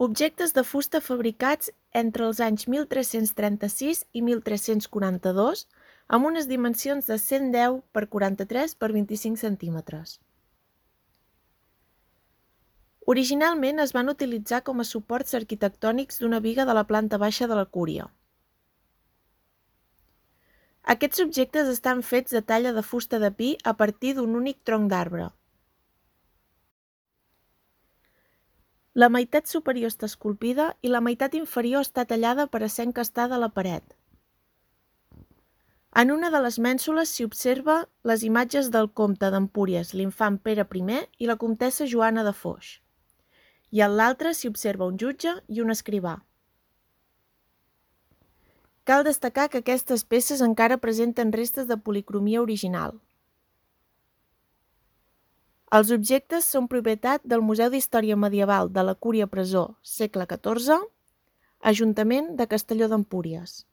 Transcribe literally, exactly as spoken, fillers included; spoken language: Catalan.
Objectes de fusta fabricats entre els anys mil tres-cents trenta-sis i mil tres-cents quaranta-dos amb unes dimensions de cent deu per quaranta-tres per vint-i-cinc centímetres. Originalment es van utilitzar com a suports arquitectònics d'una biga de la planta baixa de la cúria. Aquests objectes estan fets de talla de fusta de pi a partir d'un únic tronc d'arbre. La meitat superior està esculpida i la meitat inferior està tallada per a ser encastada a la paret. En una de les mènsules s'hi observa les imatges del comte d'Empúries, l'infant Pere primer i la comtessa Joana de Foix, i en l'altre s'hi observa un jutge i un escrivà. Cal destacar que aquestes peces encara presenten restes de policromia original. Els objectes són propietat del Museu d'Història Medieval de la Cúria Presó, segle catorze, Ajuntament de Castelló d'Empúries.